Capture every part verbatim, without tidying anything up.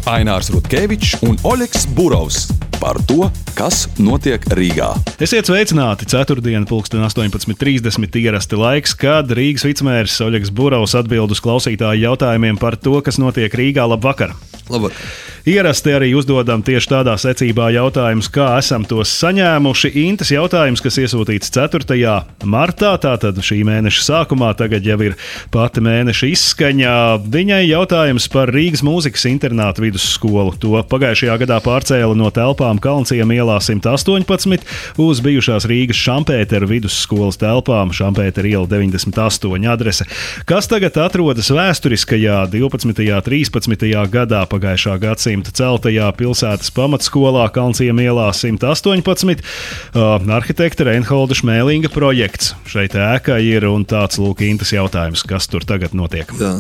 Ainārs Rutkevičs un Oļegs Burovs par to, kas notiek Rīgā. Esiet sveicināti! Ceturtdiena, pulksten astoņpadsmit trīsdesmit ierasti laiks, kad Rīgas vicemērs Oļegs Burovs atbild uz klausītāju jautājumiem par to, kas notiek Rīgā. Labvakar! Labvakar! Ierasti arī uzdodam tieši tādā secībā jautājumus, kā esam tos saņēmuši. Intas jautājums, kas iesūtīts ceturtajā martā, tātad šī mēneša sākumā, tagad jau ir pati mēneša izskaņa. Viņai jautājums par Rīgas mūzikas internātu vidusskolu. To pagājušajā gadā pārcēla no telpām Kalnciema ielā simt astoņpadsmit uz bijušās Rīgas Šampētera vidusskolas telpām, Šampētera iela deviņdesmit astoņi adrese, kas tagad atrodas vēsturiskajā divpadsmitajā trīspadsmitajā gadā pagājušā gadsimta celtajā pilsētas pamatskolā Kalnciema ielā simt astoņpadsmit. Uh, arhitekta Reinholda Šmēlinga projekts. Šeit ēka ir un tāds lūk Intas jautājums, kas tur tagad notiek. Jā,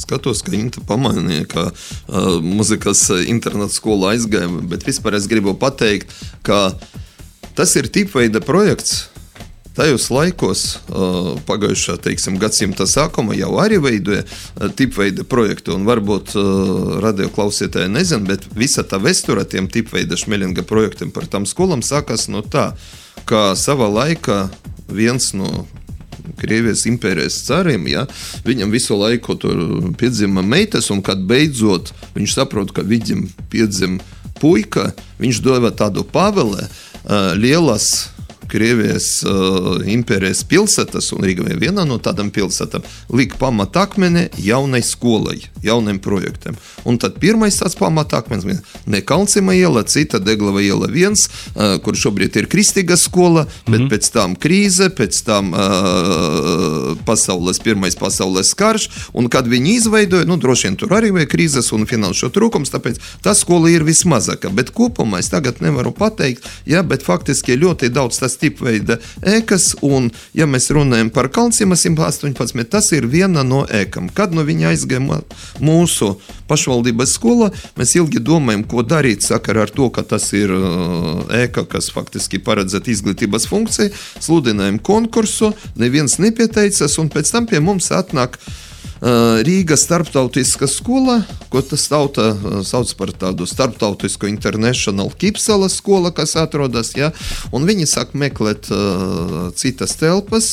skatos, ka Inta pamanīja, ka uh, muzikas internāta skola aizgāja, bet vispār es gribu pateikt, ka tas ir tipveida projekts. Tajos laikos, pagājušā, teiksim, gadsimta sākuma jau arī veidoja tipveida projektu, un varbūt radioklausītāji nezin, bet visa tā vēsture tiem tipveida Šmēlinga projektiem par tām skolām sākas no tā, ka savā laikā viens no Krievijas impērijas cariem, ja, viņam visu laiku tur piedzima meitas, un kad beidzot viņš saprot, ka viņam piedzim puika, viņš deva tādu pavēli lielas Krievijas uh, impērijas pilsētas, un Rīga ir viena no tādām pilsētām, lika pamatakmeni jaunai skolai, jauniem projektiem. Un tad pirmais tāds pamatakmenis, ne Kalnciema iela, cita Deglava iela viens, uh, kur šobrīd ir kristīga skola, bet mm-hmm. pēc tam krīze, pēc tam uh, pasaules, pirmais pasaules karš, un kad viņi izveidoja, nu droši vien tur arī vai krīzes un finanšu trūkums, tāpēc tā skola ir vismazāka, bet kopumā es tagad nevaru pateikt, ja, bet faktiski ļoti daudz tas tipveida ēkas, un, ja mēs runājam par Kalnciema simt astoņpadsmit, tas ir viena no ēkām. Kad no viņa aizgāja mūsu pašvaldības skola, mēs ilgi domājam, ko darīt sakarā ar to, ka tas ir ēka, kas faktiski paredzēt izglītības funkciju, sludinājam konkursu, neviens nepieteicas, un pēc tam pie mums atnāk Rīgas starptautiska skola, ko tas tauta sauc par tādu starptautisku International Kipsala skola, kas atrodas, ja, un viņi sāk meklēt uh, citas telpas.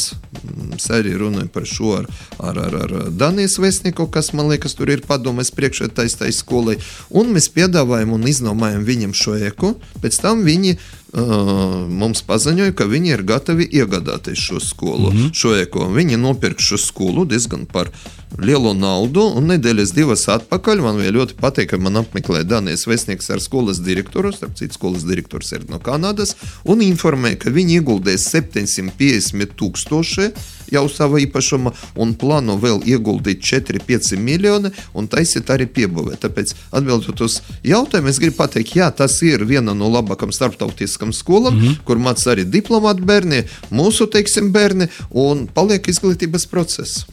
Es arī runāju par šo ar, ar, ar, ar Danijas vēstnieku, kas, man liekas, tur ir padomēs priekšētais tai skolai, un mēs piedāvājam un iznomājam viņam šo ēku, pēc tam viņi Uh, mums paziņoja, ka viņi ir gatavi iegādāties šo skolu, mm-hmm. šo eko. Viņi nopirk šo skolu diezgan par lielu naudu, un nedēļas divas atpakaļ man vēl ļoti patīk, ka man apmeklēja Danijas vēstnieks ar skolas direktoru, starp citu skolas direktors ir no Kanādas, un informēja, ka viņi ieguldēs septiņsimt piecdesmit tūkstoši jau sava īpašuma, un plāno vēl ieguldīt četri pieci miljoni, un taisīt arī piebūvē. Tāpēc atbildot uz jautājumu, es gribu pateikt, jā, tas ir viena no labākam starptautiskam skolam, mm-hmm. kur māc arī diplomāti bērni, mūsu, teiksim, bērni, un paliek izglītības process.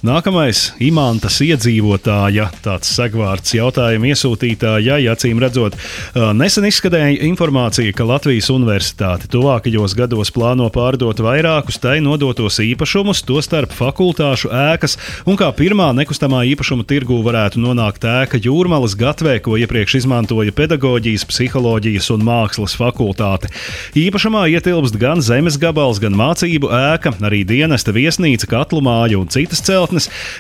Nākamais Imantas iedzīvotāja, tāds segvārds jautājuma iesūtītāja, acīm redzot, nesen izskanēja informācija, ka Latvijas Universitāte tuvākajos gados plāno pārdot vairākus tai nodotos īpašumus, tostarp fakultāšu ēkas, un kā pirmā nekustamā īpašuma tirgū varētu nonākt ēka Jūrmalas gatvē, ko iepriekš izmantoja pedagoģijas, psiholoģijas un mākslas fakultāte. Īpašumā ietilpst gan zemes gabals, gan mācību ēka, arī dienesta viesnīca, katlu māja un citas celtnes.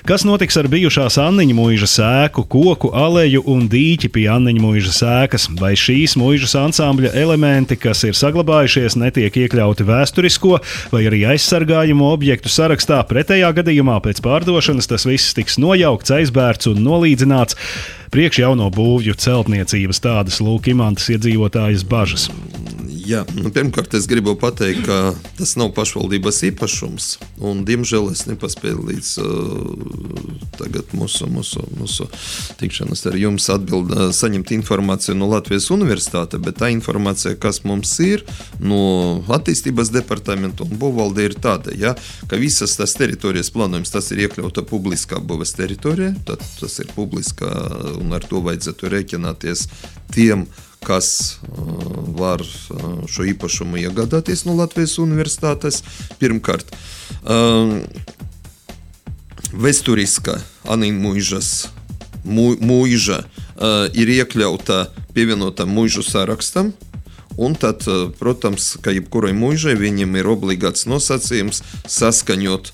Kas notiks ar bijušās Anniņa mūžas ēku, koku, aleju un dīķi pie Anniņa mūžas ēkas? Vai šīs mūžas ansambļa elementi, kas ir saglabājušies, netiek iekļauti vēsturisko vai arī aizsargājumu objektu sarakstā? Pretējā gadījumā pēc pārdošanas tas viss tiks nojaukts, aizbērts un nolīdzināts. Priekš jauno būvju celtniecības, tādas lūk Imantas iedzīvotājas bažas. Jā, nu, pirmkārt es gribu pateikt, ka tas nav pašvaldības īpašums, un diemžēl es nepaspēju līdz uh, tagad mūsu, mūsu, mūsu tikšanas ar jums atbild, uh, saņemt informāciju no Latvijas Universitāte, bet tā informācija, kas mums ir no attīstības departamenta un būvvalde ir tāda, ja, ka visas tas teritorijas plānojums, tas ir iekļauta publiskā būves teritorija, tad tas ir publiskā, un ar to vajadzētu rēķināties tiem, kas uh, var uh, šo īpašumu iegādāties no Latvijas Universitātes. Pirmkārt, uh, vēsturiska Anniņa mūžas mūža uh, ir iekļauta pievienotā mūžu sarakstam. Un tad, protams, ka jebkurai mūžai viņam ir obligāts nosacījums saskaņot,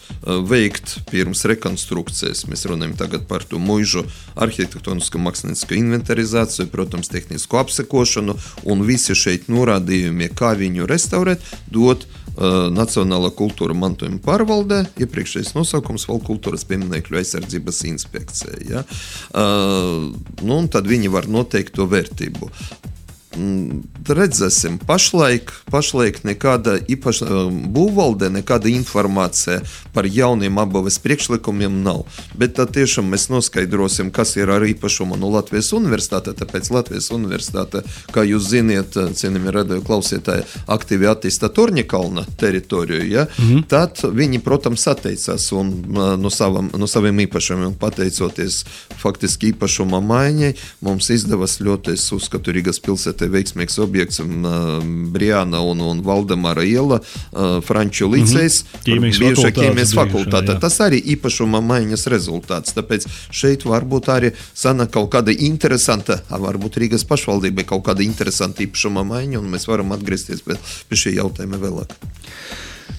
veikt pirms rekonstrukcijas. Mēs runājam tagad par to mūžu arhitektonisko mākslinisko inventarizāciju, protams, tehnisko apsekošanu, un visi šeit norādījumi, kā viņu restaurēt, dot uh, Nacionālā kultūra mantojuma pārvaldē, iepriekšējais nosaukums Valsts kultūras pieminekļu aizsardzības inspekcija. Ja? Uh, nu, un tad viņi var noteikt to vērtību. Redzēsim, pašlaik, pašlaik nekāda īpaša būvvaldē, nekāda informācija par jauniem apbūves priekšlikumiem nav. Bet tad tiešām mēs noskaidrosim, kas ir ar īpašumu no Latvijas universitāte, tāpēc Latvijas universitāte, kā jūs ziniet, cienījami radio klausītāji, aktīvi attīsta Torņakalna teritoriju, ja? Mm-hmm. Tad viņi, protams, atteicās un no, savam, no saviem īpašumiem pateicoties faktiski īpašuma maiņai, mums izdevas ļoti, es uzskatu, Rīgas pilsētā veiksmīgs objekts uh, Briāna un, un Valdemara iela, uh, Franču licejs, mm-hmm. bijušā ķīmijas fakultāte. Tas arī īpašuma maiņas rezultāts. Tāpēc šeit varbūt arī sana kaut kāda interesanta, varbūt Rīgas pašvaldība kaut kāda interesanta īpašuma maiņa, un mēs varam atgriezties pie, pie šī jautājuma vēlāk.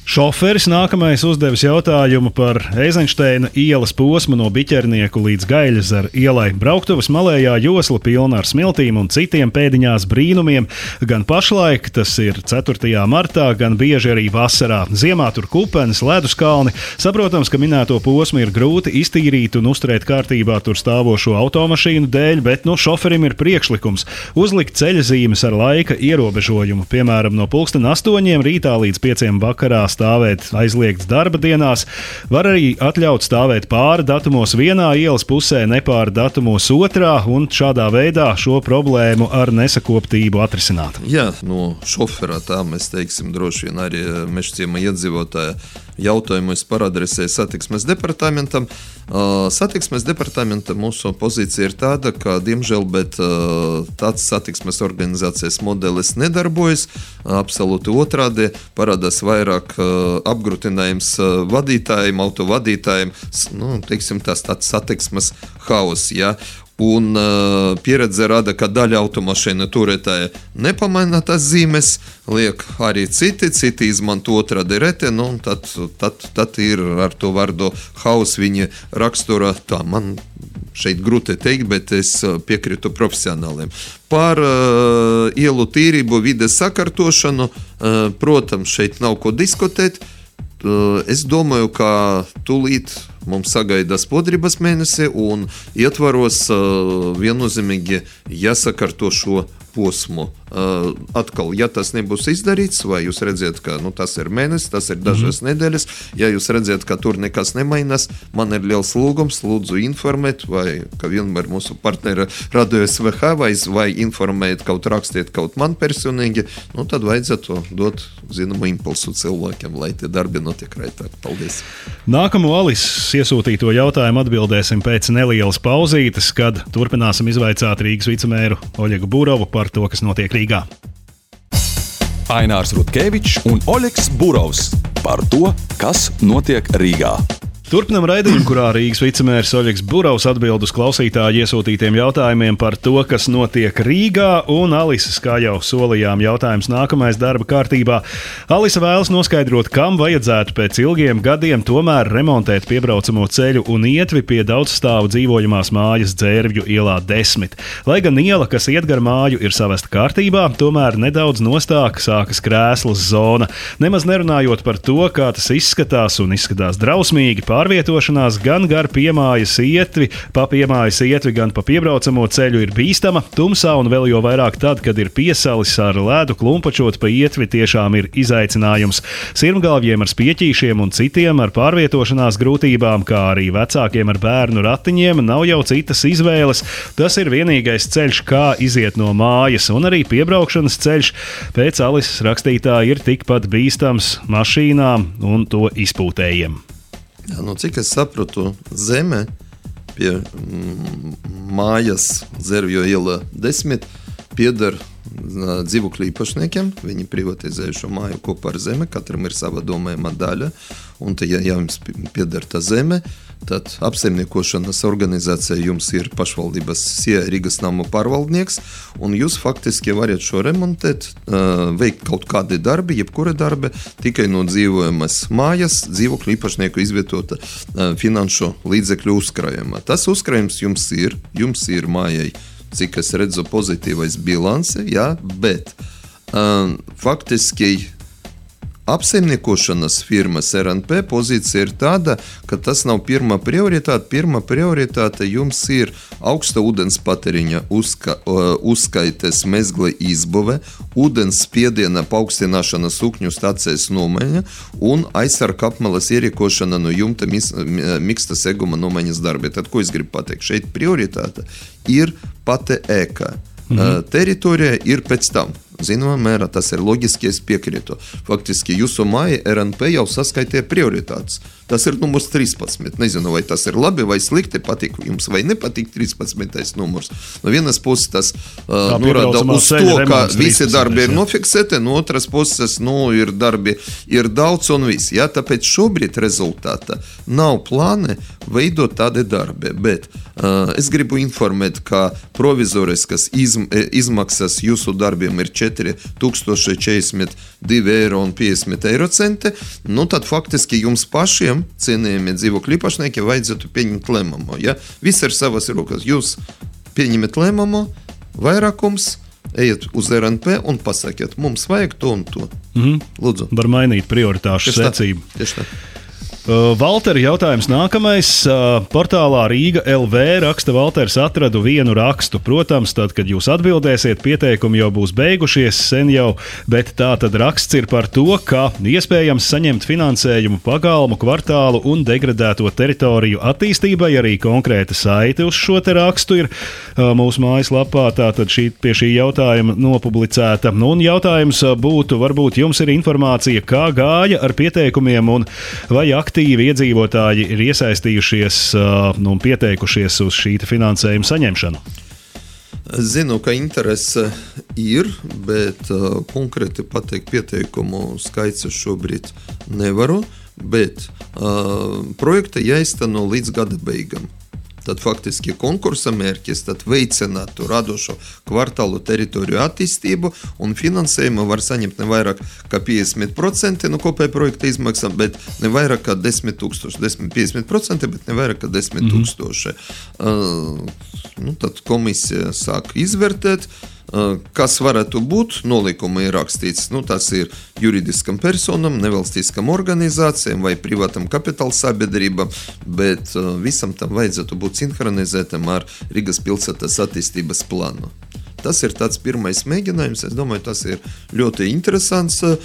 Šoferis nākamais uzdevis jautājumu par Eizenšteina ielas posmu no Biķernieku līdz Gaļezaru ielai. Brauktuvas malējā josla pilna ar smiltīm un citiem pēdiņās brīnumiem. Gan pašlaik, tas ir ceturtajā martā, gan bieži arī vasarā. Ziemā tur kupenes, leduskalni. Saprotams, ka minēto posmu ir grūti iztīrīt un uzturēt kārtībā tur stāvošo automašīnu dēļ, bet no šoferim ir priekšlikums uzlikt ceļazīmes ar laika ierobežojumu. Piemēram, no pulksten astoņiem rītā līdz pieciem vakarā stāvēt aizliegts darba dienās, var arī atļaut stāvēt pāri datumos vienā ielas pusē, nepāri datumos otrā, un šādā veidā šo problēmu ar nesakoptību atrisināt. Jā, no šoferā tā mēs teiksim droši vien arī Mežciema iedzīvotāja jautājumu es paradresēju satiksmes departamentam. Uh, satiksmes departamenta mūsu pozīcija ir tāda, ka, diemžēl, bet uh, tāds satiksmes organizācijas modelis nedarbojas. Uh, absolūti otrādi parādās vairāk uh, apgrūtinājums uh, vadītājiem, autovadītājiem, nu, teiksim, tās tāds satiksmes haus, ja. Un uh, pieredze rada, ka daļa automašīnu turētāja nepamaina tās zīmes, liek arī citi, citi izmanto otrādi rete, nu, tad, tad, tad ir ar to vārdu haus viņa rakstura, tā man šeit grūti teikt, bet es piekritu profesionāliem. Par uh, ielu tīrību, vides sakārtošanu, uh, protams, šeit nav ko diskutēt. Uh, es domāju, ka tūlīt mums sagaidās podrības mēnesi un ietvaros uh, viennozīmīgi jāsakārto šo posmu. Uh, atkal, ja tas nebūs izdarīts, vai jūs redzat, ka nu, tas ir mēnesis, tas ir dažas mm-hmm. nedēļas, ja jūs redzat, ka tur nekas nemainās, man ir liels lūgums, lūdzu informēt, vai, ka vienmēr mūsu partneri Radio S V H, vai, vai informēt, kaut rakstiet kaut man personīgi, nu tad vajadzētu dot zināmu impulsu cilvēkiem, lai tie darbi notiek raitāk. Paldies! Nākamo Alises iesūtīto jautājumu atbildēsim pēc nelielas pauzītes, kad turpināsim izvaicāt Rīgas vicemēru Oļegu Burovu par to, kas notiek Rīgā. Ainārs Rutkevičs un Oļegs Burovs par to, kas notiek Rīgā. Turpinam raidījumu, kurā Rīgas vicemērs Oļegs Burovs atbild uz klausītāju iesūtītiem jautājumiem par to, kas notiek Rīgā, un Alises, kā jau solījām, jautājums nākamais darba kārtībā. Alise vēlas noskaidrot, kam vajadzētu pēc ilgiem gadiem tomēr remontēt piebraucamo ceļu un ietvi pie daudzstāvu dzīvojamās mājas Dzērvju ielā desmit. Lai gan iela, kas iet gar māju, ir savesta kārtībā, tomēr nedaudz nostāk sākas krēslas zona. Nemaz nerunājot par to, kā tas izskatās un izskatās drausmīgi, pārvietošanās gan gar piemājas ietvi, pa piemājas ietvi, gan pa piebraucamo ceļu ir bīstama. Tumsā un vēl jo vairāk tad, kad ir piesalis ar ledu klumpačot pa ietvi, tiešām ir izaicinājums. Sirmgalvjiem ar spieķīšiem un citiem ar pārvietošanās grūtībām, kā arī vecākiem ar bērnu ratiņiem, nav jau citas izvēles. Tas ir vienīgais ceļš, kā iziet no mājas, un arī piebraukšanas ceļš pēc Alises rakstītā ir tikpat bīstams mašīnām un to izpūtējiem. Jā, nu, cik es sapratu, zeme pie mm, mājas Dzērvju iela desmit pieder dzīvokļu īpašniekiem. Viņi privatizēja šo māju kopā ar zemi, katram ir sava domājama daļa. un te, ja, ja jums pieder tā zeme, tad apsaimniekošanas organizācija jums ir pašvaldības Rīgas namu pārvaldnieks, un jūs faktiski varat šo remontēt, veikt kaut kādi darbi, jebkura darbi, tikai no dzīvojamas mājas, dzīvokļu īpašnieku izvietota finanšu līdzekļu uzkrājumā. Tas uzkrājums jums ir, jums ir mājai, cik es redzu pozitīvais bilanse, jā, bet um, faktiski apsaimniekošanas firmas R N P pozīcija ir tāda, ka tas nav pirmā prioritāte. Pirmā prioritāte jums ir augsta ūdens patēriņa uzska, uzskaites mezgla izbūve, ūdens spiediena paaugstināšana sūkņu stācijas nomaiņa un aizsarga apmalas ierīkošana no jumta miksta seguma nomaiņas darbi. Tad, ko es gribu pateikt? Šeit prioritāte ir pati ēka. Mhm. Teritorija ir pēc tam. Zināmā mērā tas ir loģiski, es piekrītu. Faktiski jūsu māja R N P jau saskaitīja prioritātes. Tas ir numurs trīspadsmit. Nezinu, vai tas ir labi vai slikti, patīk jums vai nepatīk trīspadsmitais numurs. No vienas puses tas uh, norāda uz to, ka visi darbi ir nofiksēti, no otras puses, nu, ir darbi ir daudz un viss. Ja? Tāpēc šobrīd rezultāta nav plāni veidot tādi darbi, bet uh, es gribu informēt, ka provizoriskas izm, izmaksas jūsu darbiem ir četri tūkstoši četrdesmit divi eiro un piecdesmit eiro centi, nu tad faktiski jums pašiem, cienījamie dzīvokļu īpašnieki, vajadzētu pieņemt lēmumu. Ja? Viss ir savas rokas. Jūs pieņemat lēmumu, vairākums, ejiet uz R N P un pasakiet, mums vajag to un to. Mhm. Lūdzu. Var mainīt prioritāšu secību. Tieši tā. Uh, Valteri, jautājums nākamais. Uh, portālā Rīga L V raksta Valters, atradu vienu rakstu. Protams, tad, kad jūs atbildēsiet, pieteikumi jau būs beigušies sen jau, bet tā tad raksts ir par to, ka iespējams saņemt finansējumu pagalmu, kvartālu un degradēto teritoriju attīstībai. Arī konkrēta saite uz šo te rakstu ir uh, mūsu mājaslapā, tātad šī, pie šī jautājuma nopublicēta. Nu, un jautājums būtu, varbūt jums ir informācija, kā gāja ar pieteikumiem un vai aktīvi aktīvi iedzīvotāji ir iesaistījušies uh, un pieteikušies uz šī finansējuma saņemšanu? Es zinu, ka interese ir, bet uh, konkrēti pateikt pieteikumu skaits šobrīd nevaru, bet uh, projekta jāizteno līdz gada beigām. Tad faktiski konkursa mērķis tad veicinātu radošo kvartālu teritoriju attīstību un finansējumu var saņemt ne vairāk kā piecdesmit procenti no kopēja projekta izmaksām, bet ne vairāk kā desmit tūkstoši. piecdesmit procenti, bet ne vairāk kā desmit tūkstoši. Mm. Uh, nu, tad komisija sāk izvērtēt, uh, kas varētu būt. Nolikuma ir rakstīts, nu, tas ir juridiskam personam, nevalstiskam organizācijām vai privātam kapitāla sabiedrībām, bet uh, visam tam vajadzētu būt sinhronizētam ar Rīgas pilsētas attīstības plānu. Tas ir tāds pirmais mēģinājums. Es domāju, tas ir ļoti interesants uh,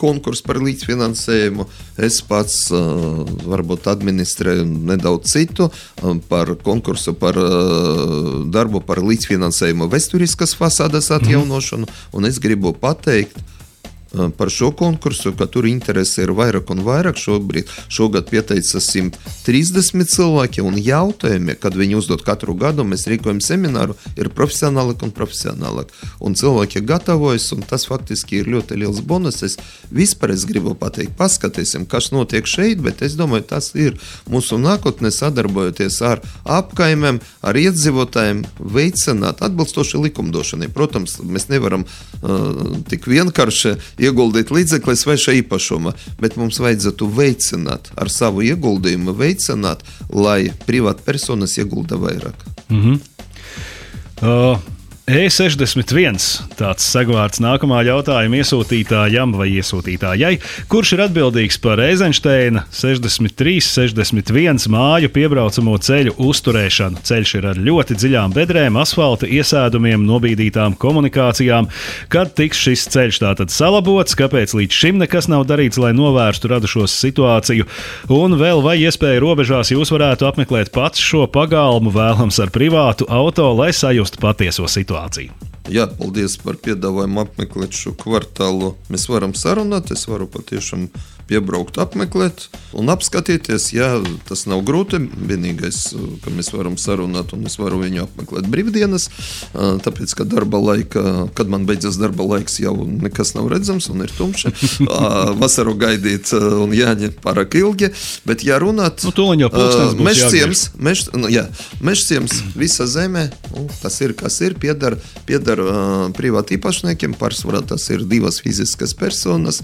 konkurss par līdzfinansējumu. Es pats uh, varbūt administrēju nedaudz citu uh, par konkursu par uh, darbu par līdzfinansējumu vēsturiskas fasādes atjaunošanu, un es gribu pateikt par šo konkursu, ka tur interese ir vairāk un vairāk. Šobrīd, šogad pieteica simt trīsdesmit cilvēki, un jautājumi, kad viņi uzdod katru gadu, mēs rīkojam semināru, ir profesionālāk un profesionālāk. Un cilvēki gatavojas, un tas faktiski ir ļoti liels bonus. Es vispār es gribu pateikt, paskatīsim, kas notiek šeit, bet es domāju, tas ir mūsu nākotnē sadarbojoties ar apkaimēm, ar iedzīvotājiem, veicināt atbilstoši likumdošanai. Protams, mēs nevaram uh, tik vienkārši ieguldīt līdzekļus vai šā īpašuma, bet mums vajadzētu veicināt ar savu ieguldījumu, veicināt, lai privāta personas iegulda vairāk. Mhm. Uh. E sešdesmit viens, tāds segvārds nākamā jautājuma iesūtītājam vai iesūtītājai, kurš ir atbildīgs par Eizenšteina sešdesmit trīs sešdesmit viens māju piebraucamo ceļu uzturēšanu. Ceļš ir ar ļoti dziļām bedrēm, asfalta iesēdumiem, nobīdītām komunikācijām. Kad tiks šis ceļš tātad salabots, kāpēc līdz šim nekas nav darīts, lai novērstu radušos situāciju? Un vēl vai iespēja robežās jūs varētu apmeklēt pats šo pagalmu, vēlams ar privātu auto, lai sajustu patieso situāciju? Jā, paldies par piedāvājumu apmeklēt šo kvartālu. Mēs varam sarunāt, es varu patiešām piebraukt, apmeklēt un apskatīties. Jā, tas nav grūti. Vienīgais, ka mēs varam sarunāt un es varu viņu apmeklēt brīvdienas, tāpēc, ka darba laika, kad man beidzas darba laiks, jau nekas nav redzams un ir tumši. Vasaru gaidīt un jāņem pārāk ilgi, bet ja runāt... Nu, tūliņ jau pulkstens būs Mežciems, mež, nu, jā, Mežciems visa zeme, nu, tas ir, kas ir, piedar, piedar uh, privāti īpašniekiem, pārsvarā tas ir divas fiziskas personas,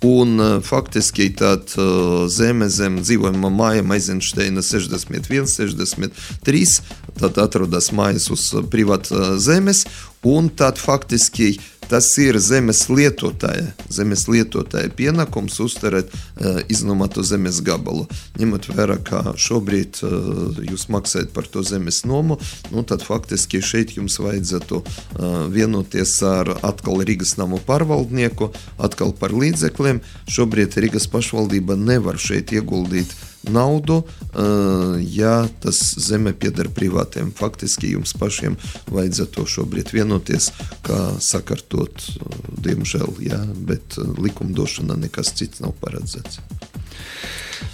un uh, faktiski tād uh, zeme zem dzīvojama māja Maizenšteina sešdesmit viens, sešdesmit trīs, tad atrodas mājas uz uh, privāta zemes, un tad faktiski tas ir zemes lietotāja, zemes lietotāja pienākums uzturēt uh, iznomātu zemes gabalu. Ņemot vērā, ka šobrīd uh, jūs maksājat par to zemes nomu, nu tad faktiski šeit jums vajadzētu uh, vienoties ar atkal Rīgas namu pārvaldnieku, atkal par līdzekļiem. Šobrīd Rīgas pašvaldība nevar šeit ieguldīt naudu, ja tas zeme pieder privātiem. Faktiski jums pašiem vajadzētu šobrīd vienoties, kā sakartot, diemžēl, jā, bet likumdošana nekas cits nav paredzēts.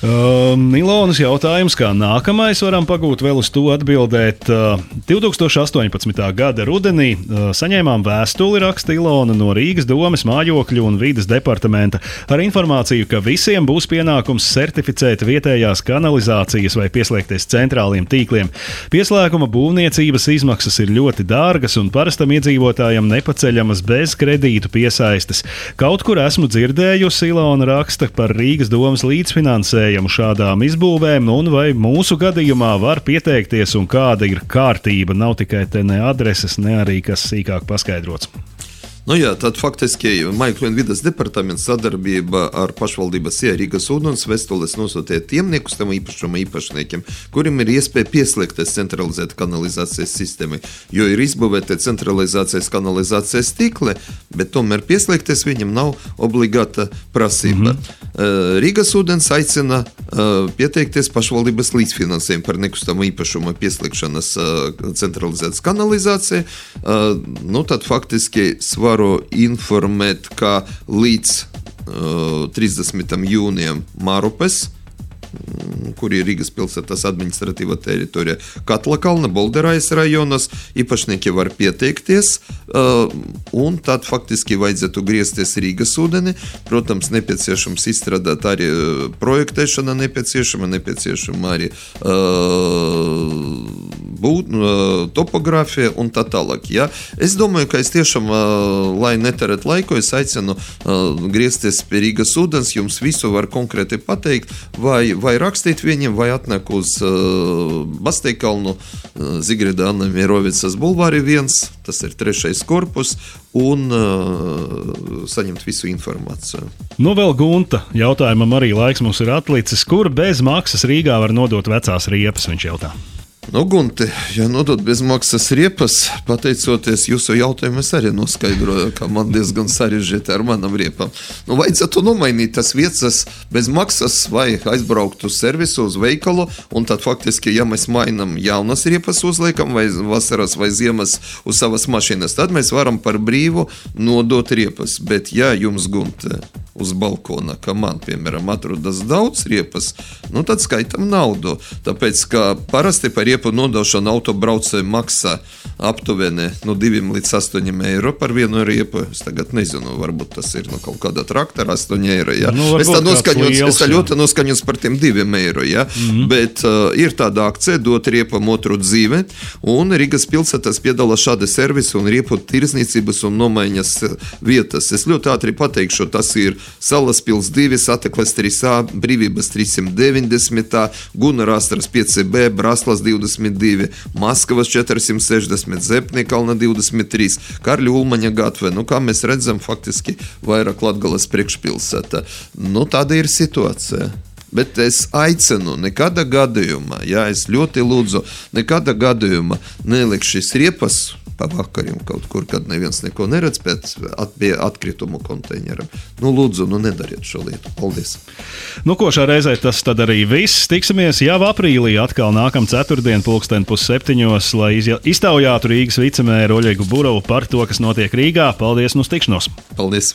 Uh, Ilonas jautājums, kā nākamais varam pagūt vēl uz to atbildēt. Uh, divtūkstoš astoņpadsmitā gada rudenī uh, saņēmām vēstuli, raksta Ilona, no Rīgas domes mājokļu un vides departamenta ar informāciju, ka visiem būs pienākums certificēt vietējās kanalizācijas vai pieslēgties centrāliem tīkliem. Pieslēguma būvniecības izmaksas ir ļoti dārgas un parastam iedzīvotājam nepaceļamas bez kredītu piesaistes. Kaut kur esmu dzirdējusi, Ilona raksta, par Rīgas domas līdzfinansējumu šādām izbūvēm, un vai mūsu gadījumā var pieteikties un kāda ir kārtība. Nav tikai te ne adreses, ne arī kas sīkāk paskaidrots. Nu jā, tad faktiski Mājokļu un vides departaments sadarbība ar pašvaldības ja Rīgas ūdens vēstules nosūtīja tiem nekustamo īpašuma īpašniekiem, kuriem ir iespēja pieslēgties centralizēt kanalizācijas sistēmai, jo ir izbūvēta centralizācijas kanalizācijas tīkli, bet tomēr pieslēgties viņam nav obligāta prasība. Mm-hmm. Rīgas ūdens aicina pieteikties pašvaldības līdzfinansējumu par nekustamo īpašuma pieslēgšanas centralizētas kanalizācija. Nu tad faktiski varu informēt, ka līdz uh, trīsdesmitam jūnijam Mārupes, kur ir Rīgas pilsētas administratīva teritorija, Katlakalna, Bolderājas rajonos, īpašnieki var pieteikties, uh, un tad faktiski vajadzētu griezties Rīgas ūdeni. Protams, nepieciešams izstrādāt arī projektēšana nepieciešama, nepieciešama arī uh, būt, uh, topogrāfija un tā tālāk. Ja? Es domāju, ka es tiešām, uh, lai neterēt laiku, es aicinu uh, griezties pie Rīgas ūdens, jums visu var konkrēti pateikt, vai vai rakstīt viņiem, vai atnāk uz uh, Basteikalnu, uh, Zigrida Anna Mierovicas bulvāri viens, tas ir trešais korpus, un uh, saņemt visu informāciju. Nu vēl Gunta jautājumam arī laiks mums ir atlicis. Kur bez maksas Rīgā var nodot vecās riepas, viņš jautā? Nu, Gunti, ja nodot bez maksas riepas, pateicoties jūsu jautājumu, es arī noskaidroju, ka man diezgan sarežģīti ar manam riepam. Nu, vajadzētu nomainīt tas vietas bez maksas vai aizbraukt uz servisu, uz veikalu, un tad faktiski, ja mēs mainam jaunas riepas uzliekam vai vasaras vai ziemas uz savas mašīnas, tad mēs varam par brīvu nodot riepas. Bet ja jums, Gunti, uz balkona, ka man, piemēram, atrodas daudz riepas, nu tad skaitam naudu. Tāpēc, ka parasti par riepu nodošanu autobraucēju maksā aptuveni no diviem līdz astoņiem eiro par vienu riepu. Es tagad nezinu, varbūt tas ir no kaut kāda traktora astoņi eiro, ja? Nu, es tā noskaņots, es tā ļoti noskaņots par tiem diviem eiro, ja? Mm-hmm. Bet uh, ir tāda akcija dot riepam otru dzīve, un Rīgas pilsētas piedala šādi servisi un riepu tirzniecības un nomaiņas vietas. Es ļoti ātri pateikšu, tas ir Salaspils divi, Satekles trīs A, Brīvības trīssimt deviņdesmit, Gunara Astras pieci B, Braslas divdesmit divi, Maskavas četrsimt sešdesmit, Zepnikalna divdesmit trīs, Karļa Ulmaņa gatve. Nu, kā mēs redzam, faktiski vairāk Latgales priekšpilsēta. Nu, tāda ir situācija. Bet es aicinu, nekāda gadījumā, jā, es ļoti lūdzu, nekāda gadījumā neliek šis riepas pa vakarim kaut kur, kad neviens neko neredz pēc at, pie atkritumu konteineram. Nu, lūdzu, nu nedariet šo lietu. Paldies. Nu, ko šā reizē tas tad arī viss. Tiksimies jau aprīlī atkal nākam ceturtdien pulksten pusseptiņos, lai iztaujātu Rīgas vicemēru Oļegu Burovu par to, kas notiek Rīgā. Paldies, un uz tikšanos. Paldies.